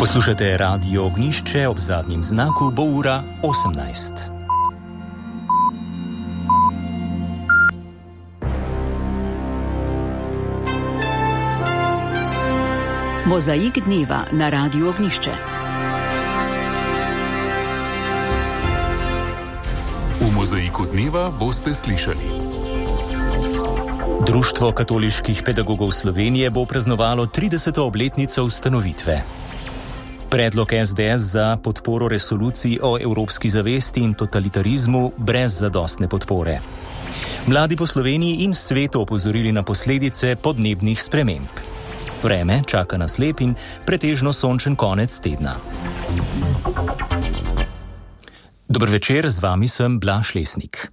Poslušate Radio Ognjišče, ob zadnjem znaku bo ura 18. Mozaik dneva na Radio Ognjišče. V mozaiku dneva boste slišali. Društvo katoliških pedagogov Slovenije bo praznovalo 30. obletnico ustanovitve. Predlog SDS za podporo resoluciji o evropski zavesti in totalitarizmu brez zadostne podpore. Mladi po Sloveniji in svetu opozorili na posledice podnebnih sprememb. Vreme čaka nas lep in pretežno sončen konec tedna. Dober večer, z vami sem Blaž Lesnik.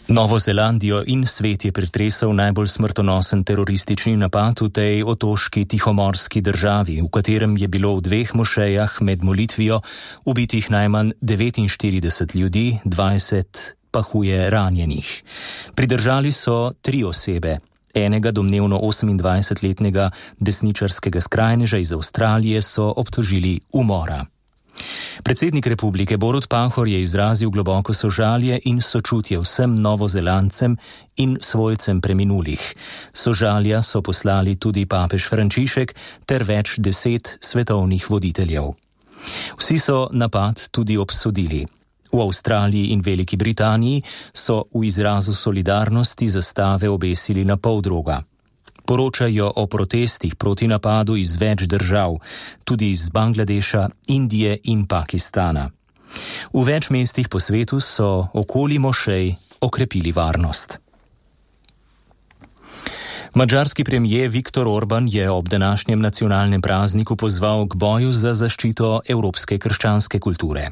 Novo Zelandijo in svet je pretresel najbolj smrtonosen teroristični napad v tej otoški tihomorski državi, v katerem je bilo v dveh mošejah med molitvijo ubitih najmanj 49 ljudi, 20 pa huje ranjenih. Pridržali so 3 osebe. Enega domnevno 28-letnega desničarskega skrajneža iz Avstralije so obtožili umora. Predsednik republike Borut Pahor je izrazil globoko sožalje in sočutje vsem Novozelandcem in svojcem preminulih. Sožalja so poslali tudi papež Frančišek ter več 10 svetovnih voditeljev. Vsi so napad tudi obsodili. V Avstraliji in Veliki Britaniji so v izrazu solidarnosti zastave obesili na poldroga. Poročajo o protestih proti napadu iz več držav, tudi iz Bangladeša, Indije in Pakistana. V več mestih po svetu so okoli mošej okrepili varnost. Madžarski premijer Viktor Orban je ob današnjem nacionalnem prazniku pozval k boju za zaščito evropske krščanske kulture.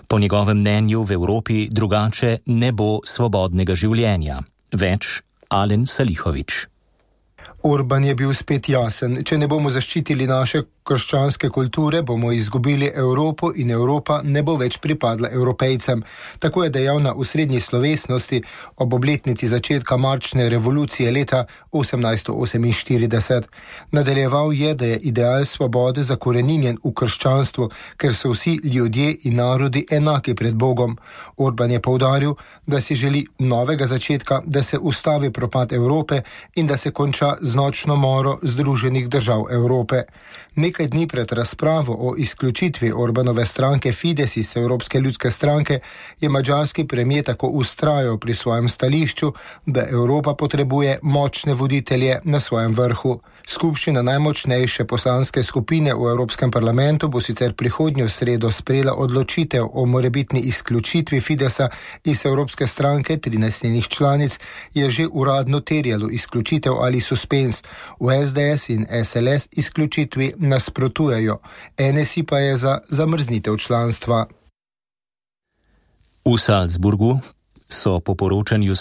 Po njegovem mnenju v Evropi drugače ne bo svobodnega življenja. Več Alen Salihović. Orban je bil spet jasen. Če ne bomo zaščitili naše krščanske kulture, bomo izgubili Evropo in Evropa ne bo več pripadla Evropejcem. Tako je dejal na osrednji slovesnosti ob obletnici začetka marčne revolucije leta 1848. Nadaljeval je, da je ideal svobode zakoreninjen v krščanstvu, ker so vsi ljudje in narodi enaki pred Bogom. Orban je poudaril, da si želi novega začetka, da se ustavi propad Evrope in da se konča z nočno moro Združenih držav Evrope. Nekaj dni pred razpravo o izključitvi Orbanove stranke Fides iz Evropske ljudske stranke je madžarski premijer tako vztrajal pri svojem stališču, da Evropa potrebuje močne voditelje na svojem vrhu. Skupščina najmočnejše poslanske skupine v Evropskem parlamentu bo sicer prihodnjo sredo sprejela odločitev o morebitni izključitvi Fidesa iz Evropske stranke. 13 njenih članic je že uradno terjalo izključitev ali suspens. V SDS in SLS izključitvi nasprotujejo. NSI pa je za zamrznitev članstva. V Salzburgu so po poročanju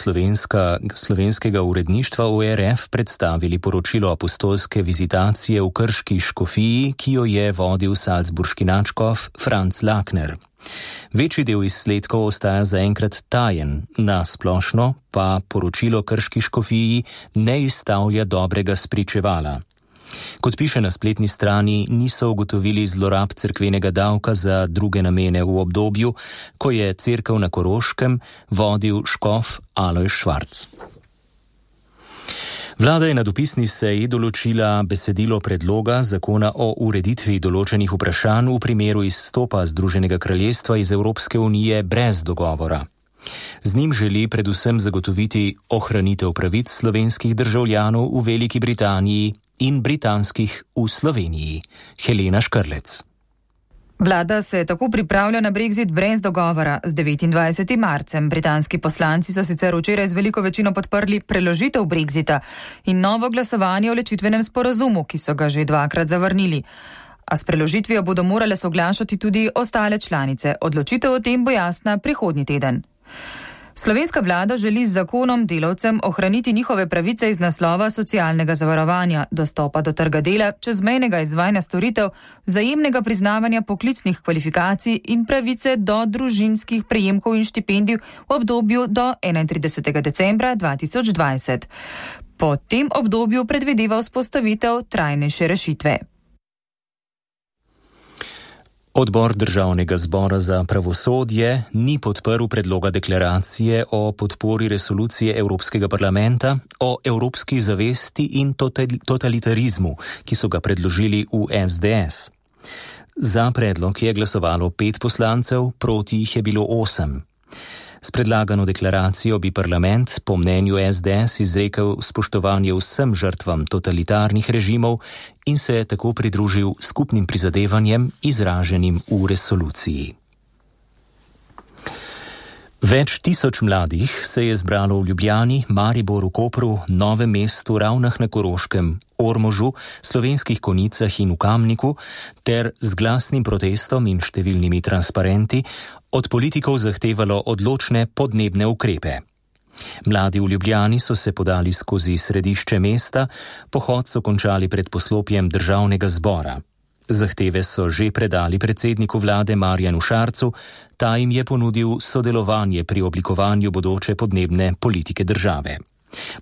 slovenskega uredništva ORF predstavili poročilo apostolske vizitacije v Krški škofiji, ki jo je vodil salzburški nadškof Franz Lakner. Večji del izsledkov ostaja zaenkrat tajen, na splošno pa poročilo Krški škofiji ne izstavlja dobrega spričevala. Kot piše na spletni strani, niso ugotovili zlorab cerkvenega davka za druge namene v obdobju, ko je cerkev na Koroškem vodil škof Alojz Švarc. Vlada je na dopisni seji določila besedilo predloga zakona o ureditvi določenih vprašanj v primeru izstopa Združenega kraljestva iz Evropske unije brez dogovora. Z njim želi predvsem zagotoviti ohranitev pravic slovenskih državljanov v Veliki Britaniji in britanskih v Sloveniji. Helena Škrlec. Vlada se tako pripravlja na Brexit brez dogovora z 29. marcem. Britanski poslanci so sicer včeraj z veliko večino podprli preložitev Brexita in novo glasovanje o ločitvenem sporazumu, ki so ga že 2-krat zavrnili. A s preložitvijo bodo morale soglašati tudi ostale članice. Odločitev o tem bo jasna prihodnji teden. Slovenska vlada želi z zakonom delavcem ohraniti njihove pravice iz naslova socialnega zavarovanja, dostopa do trga dela, čezmejnega izvajanja storitev, vzajemnega priznavanja poklicnih kvalifikacij in pravice do družinskih prejemkov in štipendij v obdobju do 31. decembra 2020. Po tem obdobju predvideva vzpostavitev trajnejše rešitve. Odbor Državnega zbora za pravosodje ni podprl predloga deklaracije o podpori resolucije Evropskega parlamenta o evropski zavesti in totalitarizmu, ki so ga predložili v SDS. Za predlog je glasovalo 5 poslancev, proti jih je bilo 8. S predlagano deklaracijo bi parlament po mnenju SDS izrekel spoštovanje vsem žrtvam totalitarnih režimov in se tako pridružil skupnim prizadevanjem izraženim v resoluciji. Več tisoč mladih se je zbralo v Ljubljani, Mariboru, Kopru, Novem mestu, Ravnah na Koroškem, Ormožu, Slovenskih Konjicah in v Kamniku ter z glasnim protestom in številnimi transparenti od politikov zahtevalo odločne podnebne ukrepe. Mladi v Ljubljani so se podali skozi središče mesta, pohod so končali pred poslopjem Državnega zbora. Zahteve so že predali predsedniku vlade Marjanu Šarcu, ta jim je ponudil sodelovanje pri oblikovanju bodoče podnebne politike države.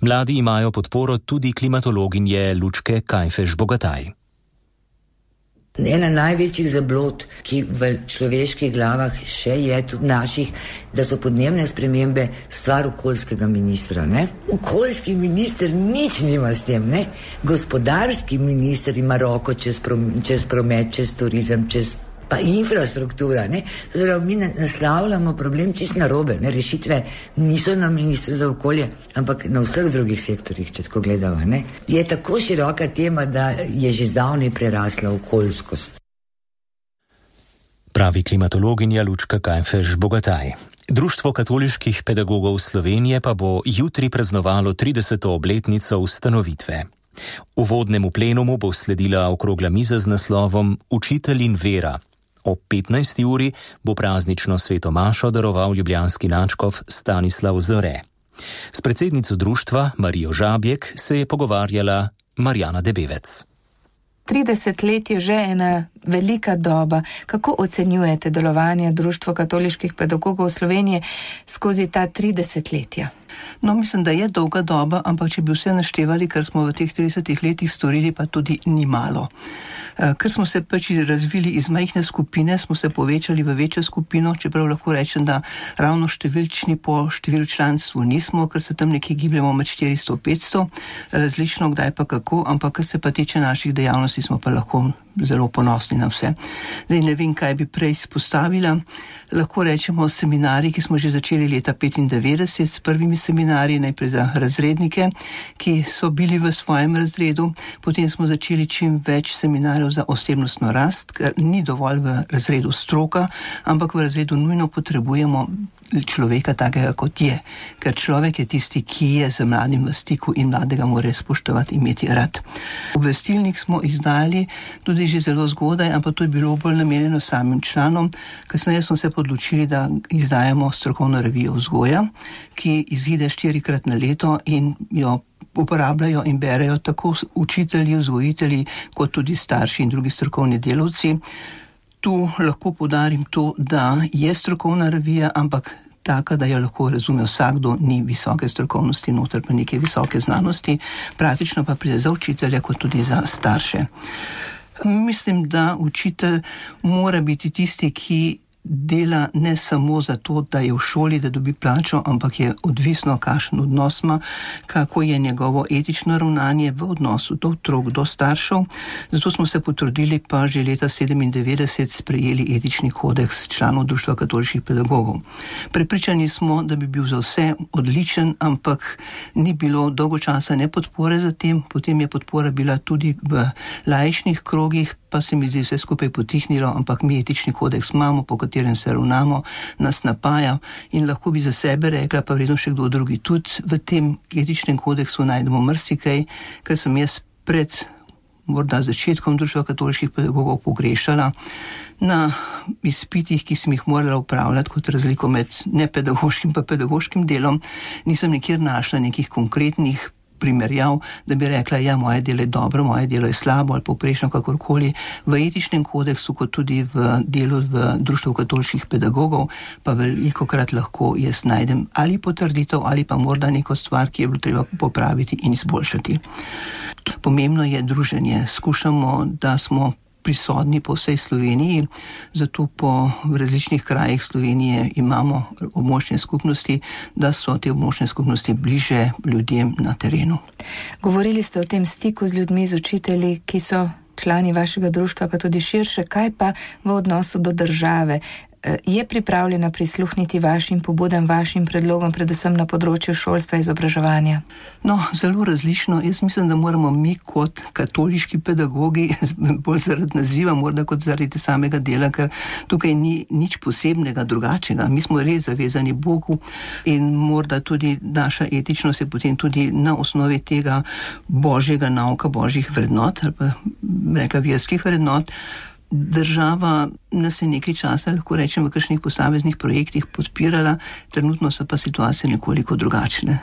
Mladi imajo podporo tudi klimatologinje Lučke Kajfež-Bogataj. Ena največjih zablod, ki v človeških glavah še je, tudi naših, da so podnebne spremembe stvar okoljskega ministra, ne? Okoljski minister nič nima s tem, ne? Gospodarski minister ima roko čez promet, čez turizem, čez pa infrastruktura, ne? Torej, mi naslavljamo problem čist narobe, ne? Rešitve niso na ministru za okolje, ampak na vseh drugih sektorjih, če tako gledava, ne? Je tako široka tema, da je že zdavnaj prerasla okoljskost. Pravi klimatologinja Lučka Kajfež-Bogataj. Društvo katoliških pedagogov Slovenije pa bo jutri praznovalo 30. obletnico ustanovitve. Uvodnemu plenumu bo sledila okrogla miza z naslovom Učitelj in vera. Ob 15. uri bo praznično sveto mašo daroval ljubljanski nadškof Stanislav Zore. S predsednico društva Marijo Žabjek se je pogovarjala Marjana Debevec. 30 let je že ena velika doba. Kako ocenjujete delovanje Društva katoliških pedagogov Slovenije skozi ta 30 letja? No, mislim, da je dolga doba, ampak če bi vse naštevali, kar smo v teh 30 letih storili, pa tudi ni malo. Ker smo se pač razvili iz majhne skupine, smo se povečali v večjo skupino, čeprav lahko rečem, da ravno številčni po številu članstvu nismo, ker se tam nekje gibljamo med 400-500, različno kdaj pa kako, ampak kar se pa tiče naših dejavnosti, smo pa lahko zelo ponosni na vse. Zdaj ne vem, kaj bi prej izpostavila. Lahko rečemo seminarji, ki smo že začeli leta 1995 s prvimi seminarji, najprej za razrednike, ki so bili v svojem razredu. Potem smo začeli čim več seminarjev za osebnostno rast, ker ni dovolj v razredu stroka, ampak v razredu nujno potrebujemo človeka takega, kot je. Ker človek je tisti, ki je z mladim v stiku in mladega mora spoštovati, imeti rad. Obvestilnik smo izdali tudi že zelo zgodaj, ampak to je bilo bolj namenjeno samim članom. Kasneje smo se odločili, da izdajamo strokovno revijo vzgoja, ki izide 4-krat na leto in jo uporabljajo in berejo tako učitelji, vzgojitelji, kot tudi starši in drugi strokovni delavci. Tu lahko poudarim to, da je strokovna revija, ampak taka, da jo lahko razume vsakdo, ni visoke strokovnosti noter, pa neke visoke znanosti, praktično pa pride za učitelja, kot tudi za starše. Mislim, da učitelj mora biti tisti, ki dela ne samo zato, da je v šoli, da dobi plačo, ampak je odvisno, kakšen odnos ima, kako je njegovo etično ravnanje v odnosu do otrok, do staršev. Zato smo se potrudili, pa že leta 1997 sprejeli etični kodeks članov Društva katoliških pedagogov. Prepričani smo, da bi bil za vse odličen, ampak ni bilo dolgo časa ne podpore za tem, potem je podpora bila tudi v laičnih krogih, pa se mi zdi vse skupaj potihnilo, ampak mi etični kodeks imamo, po katerem se ravnamo, nas napaja in lahko bi za sebe rekla, pa vredno še kdo drugi. Tudi v tem etičnem kodeksu najdemo marsikaj, kar sem jaz pred morda začetkom Društva katoliških pedagogov pogrešala. Na izpitih, ki sem jih morala upravljati kot razliko med nepedagoškim pa pedagoškim delom, nisem nikjer našla nekih konkretnih primerjav, da bi rekla, ja, moje delo je dobro, moje delo je slabo ali povprečno, kakorkoli. V etičnem kodeksu, kot tudi v delu v Društvu katoliških pedagogov, pa velikokrat lahko jaz najdem ali potrditev ali pa morda neko stvar, ki je bilo treba popraviti in izboljšati. Pomembno je druženje. Skušamo, da smo prisotni po vsej Sloveniji, zato po različnih krajih Slovenije imamo območne skupnosti, da so te območne skupnosti bliže ljudem na terenu. Govorili ste o tem stiku z ljudmi, z učitelji, ki so člani vašega društva, pa tudi širše. Kaj pa v odnosu do države? Je pripravljena prisluhniti vašim pobudam, vašim predlogom, predvsem na področju šolstva in izobraževanja? No, zelo različno. Jaz mislim, da moramo mi kot katoliški pedagogi, bolj zaradi naziva, morda kot zaradi samega dela, ker tukaj ni nič posebnega, drugačnega. Mi smo res zavezani Bogu in morda tudi naša etičnost je potem tudi na osnovi tega božjega nauka, božjih vrednot, ali pa rekla verskih vrednot. Država nas je nekaj časa, lahko rečem, v kakšnih posameznih projektih podpirala, trenutno so pa situacije nekoliko drugačne.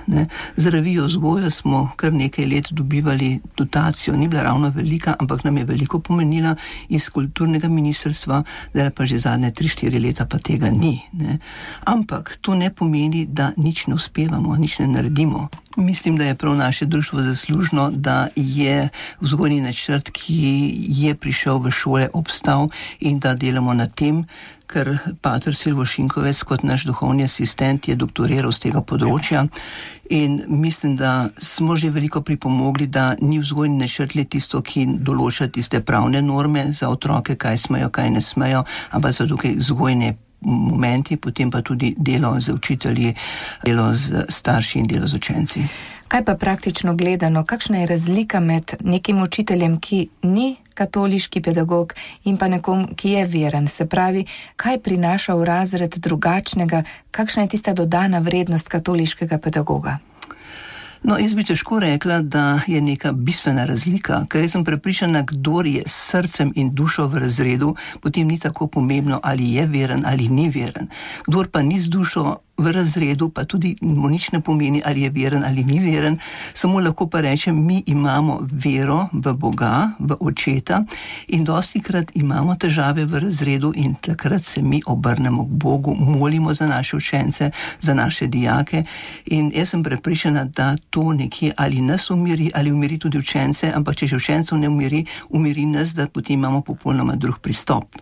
Za revijo Vzgoja smo kar nekaj let dobivali dotacijo, ni bila ravno velika, ampak nam je veliko pomenila iz kulturnega ministrstva, zdaj pa že zadnje 3-4 leta pa tega ni. Ampak to ne pomeni, da nič ne uspevamo, nič ne naredimo. Mislim, da je prav naše društvo zaslužno, da je vzgojni načrt, ki je prišel v šole, obstal in da delamo na tem, ker pater Silvo Šinkovec kot naš duhovni asistent je doktoriral z tega področja in mislim, da smo že veliko pripomogli, da ni vzgojni načrt le tisto, ki določa tiste pravne norme za otroke, kaj smejo, kaj ne smejo, ampak so tukaj vzgojne momenti, potem pa tudi delo z učitelji, delo z starši in delo z učenci. Kaj pa praktično gledano, kakšna je razlika med nekim učiteljem, ki ni katoliški pedagog in pa nekom, ki je veren? Se pravi, kaj prinaša v razred drugačnega, kakšna je tista dodana vrednost katoliškega pedagoga? No, jaz bi težko rekla, da je neka bistvena razlika, ker jaz sem prepričana, kdor je s srcem in dušo v razredu, potem ni tako pomembno, ali je veren ali ni veren. Kdor pa ni z dušo v razredu, pa tudi mu nič ne pomeni, ali je veren ali ni veren, samo lahko pa rečem, mi imamo vero v Boga, v Očeta in dostikrat imamo težave v razredu in takrat se mi obrnemo k Bogu, molimo za naše učence, za naše dijake in jaz sem prepričana, da to nekje ali nas umiri, ali umiri tudi učence, ampak če že učencev ne umiri, umiri nas, da potem imamo popolnoma drug pristop.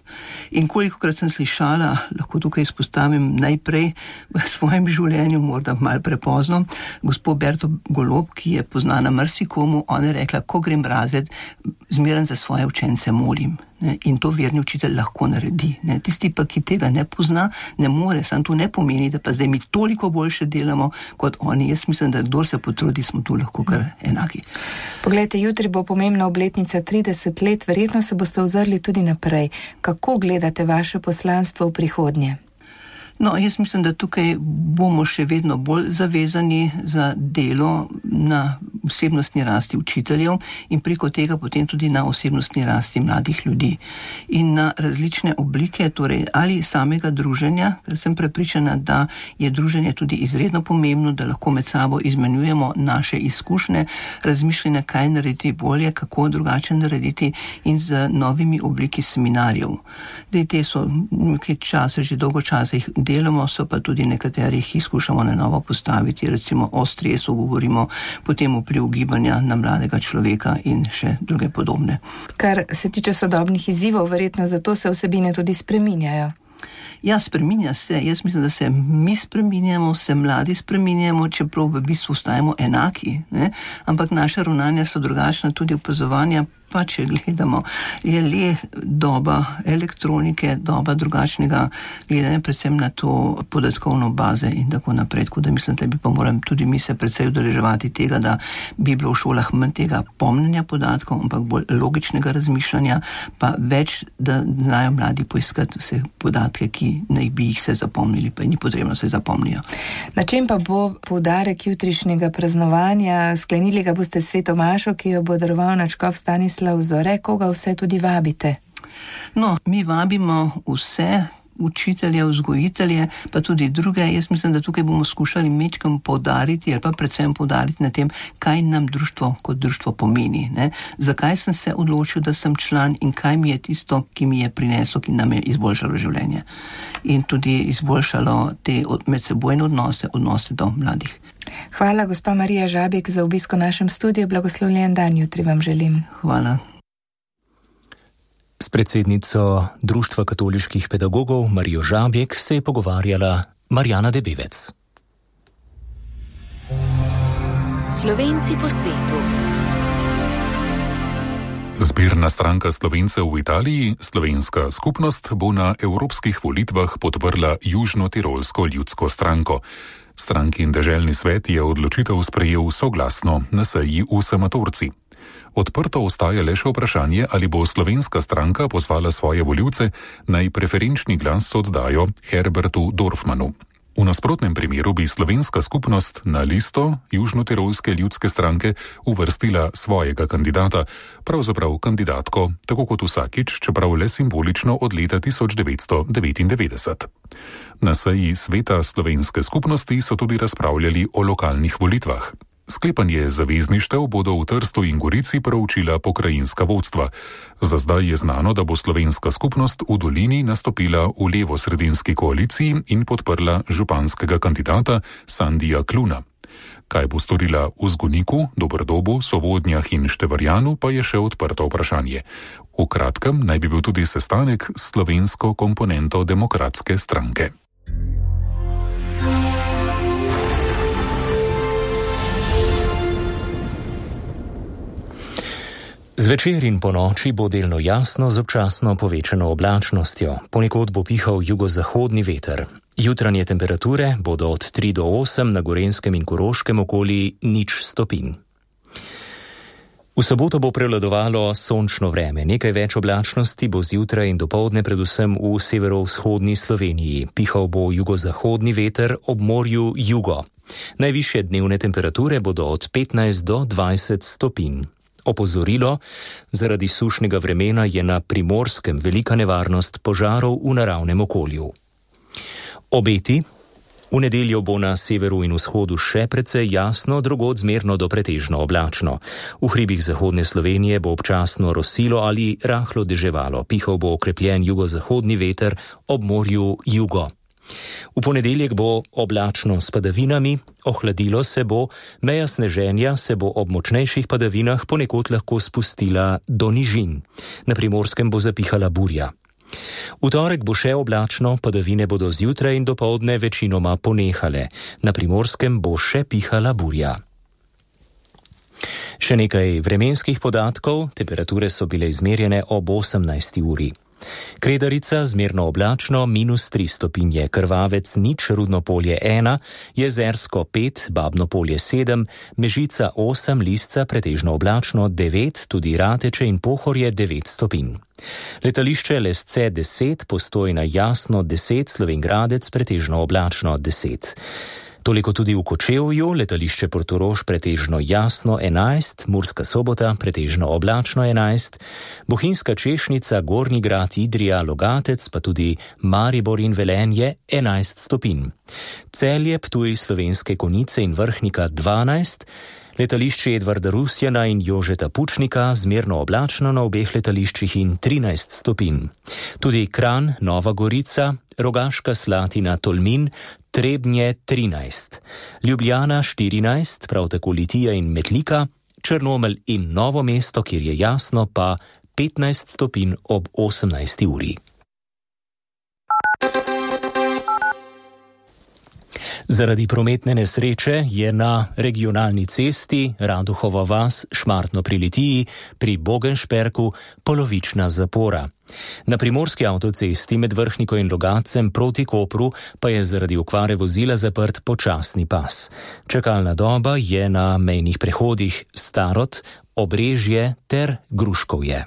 In kolikokrat sem slišala, lahko tukaj izpostavim najprej v svojem življenju, morda malo prepozno, gospod Berto Golob, ki je poznana marsikomu, ona je rekla, ko grem v razred, zmeraj za svoje učence molim. In to verni učitelj lahko naredi. Tisti pa, ki tega ne pozna, ne more, samo to ne pomeni, da pa zdaj mi toliko boljše delamo kot oni. Jaz mislim, da kdor se potrudi, smo tu lahko kar enaki. Poglejte, jutri bo pomembna obletnica 30 let, verjetno se boste ozrli tudi naprej. Kako gledate vaše poslanstvo v prihodnje? No, jaz mislim, da tukaj bomo še vedno bolj zavezani za delo na osebnostni rasti učiteljev in preko tega potem tudi na osebnostni rasti mladih ljudi. In na različne oblike, torej ali samega druženja, ker sem prepričana, da je druženje tudi izredno pomembno, da lahko med sabo izmenjujemo naše izkušnje, razmišljanja, kaj narediti bolje, kako drugače narediti in z novimi obliki seminarjev. Te so nekaj časa, že dolgo časa jih delamo, so pa tudi nekaterih izkušamo na novo postaviti, recimo o stresu govorimo, potem vpliv gibanja na mladega človeka in še druge podobne. Kar se tiče sodobnih izzivov, verjetno zato se vsebine tudi spreminjajo. Ja, spreminja se. Jaz mislim, da se mi spreminjamo, se mladi spreminjamo, čeprav v bistvu ostajamo enaki, ampak naša ravnanja so drugačna, tudi opazovanja. Pa če gledamo, je le doba elektronike, doba drugačnega gledanja, predvsem na to podatkovno baze in tako naprej. Tako da mislim, da bi pa morali tudi mi se predvsej udeleževati tega, da bi bilo v šolah manj tega pomnjenja podatkov, ampak bolj logičnega razmišljanja, pa več, da znajo mladi poiskati vse podatke, ki naj bi jih se zapomnili, pa ni potrebno se zapomnijo. Na čem pa bo poudarek jutrišnjega praznovanja? Sklenili ga boste s sveto mašo, ki jo bo daroval nadškof Stanislav Zore, koga vse tudi vabite? No, mi vabimo vse učitelje, vzgojitelje, pa tudi druge. Jaz mislim, da tukaj bomo skušali mečkam poudariti ali pa predvsem poudariti na tem, kaj nam društvo kot društvo pomeni. Ne? Zakaj sem se odločil, da sem član in kaj mi je tisto, ki mi je prineslo, ki nam je izboljšalo življenje. In tudi izboljšalo te medsebojne odnose do mladih. Hvala, gospa Marija Žabek, za obisk v našem studiu. Blagoslovljen dan jutri vam želim. Hvala. S predsednico Društva katoliških pedagogov Marijo Žabek se je pogovarjala Marjana Debevec. Slovenci po svetu. Zbirna stranka Slovencev v Italiji, Slovenska skupnost, bo na evropskih volitvah podprla Južno-tirolsko ljudsko stranko. Strankin deželni svet je odločitev sprejel soglasno na seji v Samatorci. Odprto ostaja le še vprašanje, ali bo slovenska stranka pozvala svoje volivce, naj preferenčni glas oddajo Herbertu Dorfmanu. V nasprotnem primeru bi slovenska skupnost na listo Južno-tirolske ljudske stranke uvrstila svojega kandidata, pravzaprav kandidatko, tako kot vsakič, čeprav le simbolično od leta 1999. Na seji sveta slovenske skupnosti so tudi razpravljali o lokalnih volitvah. Sklepanje zavezništev bodo v Trstu in Gorici proučila pokrajinska vodstva. Za zdaj je znano, da bo slovenska skupnost v Dolini nastopila v levo-sredinski koaliciji in podprla županskega kandidata Sandija Kluna. Kaj bo storila v Zgoniku, Dobrdobu, Sovodnjah in Števarjanu, pa je še odprto vprašanje. V kratkem naj bi bil tudi sestanek s slovensko komponento Demokratske stranke. Zvečer in ponoči bo delno jasno z občasno povečano oblačnostjo. Ponekod bo pihal jugozahodni veter. Jutranje temperature bodo od 3 do 8, na Gorenjskem in Koroškem okoli 0 stopinj. V soboto bo prevladovalo sončno vreme. Nekaj več oblačnosti bo zjutraj in dopoldne predvsem v severovzhodni Sloveniji. Pihal bo jugozahodni veter, ob morju jugo. Najvišje dnevne temperature bodo od 15 do 20 stopinj. Opozorilo: zaradi sušnega vremena je na Primorskem velika nevarnost požarov v naravnem okolju. Obeti: v nedeljo bo na severu in vzhodu še precej jasno, drugod zmerno do pretežno oblačno. V hribih zahodne Slovenije bo občasno rosilo ali rahlo deževalo. Pihal bo okrepljen jugozahodni veter, ob morju jugo. V ponedeljek bo oblačno s padavinami, ohladilo se bo, meja sneženja se bo ob močnejših padavinah ponekod lahko spustila do nižin. Na Primorskem bo zapihala burja. V torek bo še oblačno, padavine bodo zjutraj in dopoldne večinoma ponehale. Na Primorskem bo še pihala burja. Še nekaj vremenskih podatkov. Temperature so bile izmerjene ob 18. uri. Kredarica zmerno oblačno -3 stopinje, Krvavec 0, Rudno polje 1, Jezersko 5, Babno polje 7, Mežica 8, Lisca pretežno oblačno 9, tudi Rateče in Pohorje 9 stopinj. Letališče Lesce 10, Postojna jasno 10, Slovenj Gradec pretežno oblačno 10. Toliko tudi v Kočevju, letališče Portorož pretežno jasno 11, Murska Sobota pretežno oblačno 11, Bohinjska Češnica, Gornji Grad, Idrija, Logatec, pa tudi Maribor in Velenje 11 stopinj. Celje, Ptuj, Slovenske Konjice in Vrhnika 12, letališče Edvarda Rusjana in Jožeta Pučnika zmerno oblačno na obeh letališčih in 13 stopinj. Tudi Kranj, Nova Gorica, Rogaška Slatina, Tolmin, Trebnje 13, Ljubljana 14, prav tako Litija in Metlika, Črnomelj in Novo mesto, kjer je jasno, pa 15 stopinj ob 18. uri. Zaradi prometne nesreče je na regionalni cesti Raduhova vas Šmartno pri Litiji pri Bogenšperku polovična zapora. Na primorski avtocesti med Vrhniko in Logatcem proti Kopru pa je zaradi okvare vozila zaprt počasni pas. Čakalna doba je na mejnih prehodih Starod, Obrežje ter Gruškovje.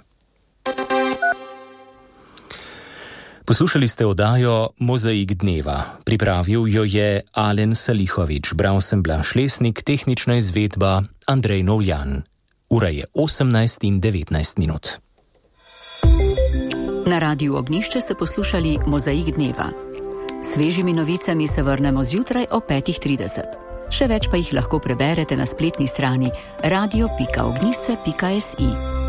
Poslušali ste oddajo Mozaik dneva. Pripravil jo je Alen Salihovič, bral sem Blaž Lesnik, tehnična izvedba Andrej Novljan. Ura je 18:19. Na Radiu Ognišče ste poslušali Mozaik dneva. Svežimi novicami se vrnemo zjutraj o 5:30. Še več pa jih lahko preberete na spletni strani radio.ognisce.si.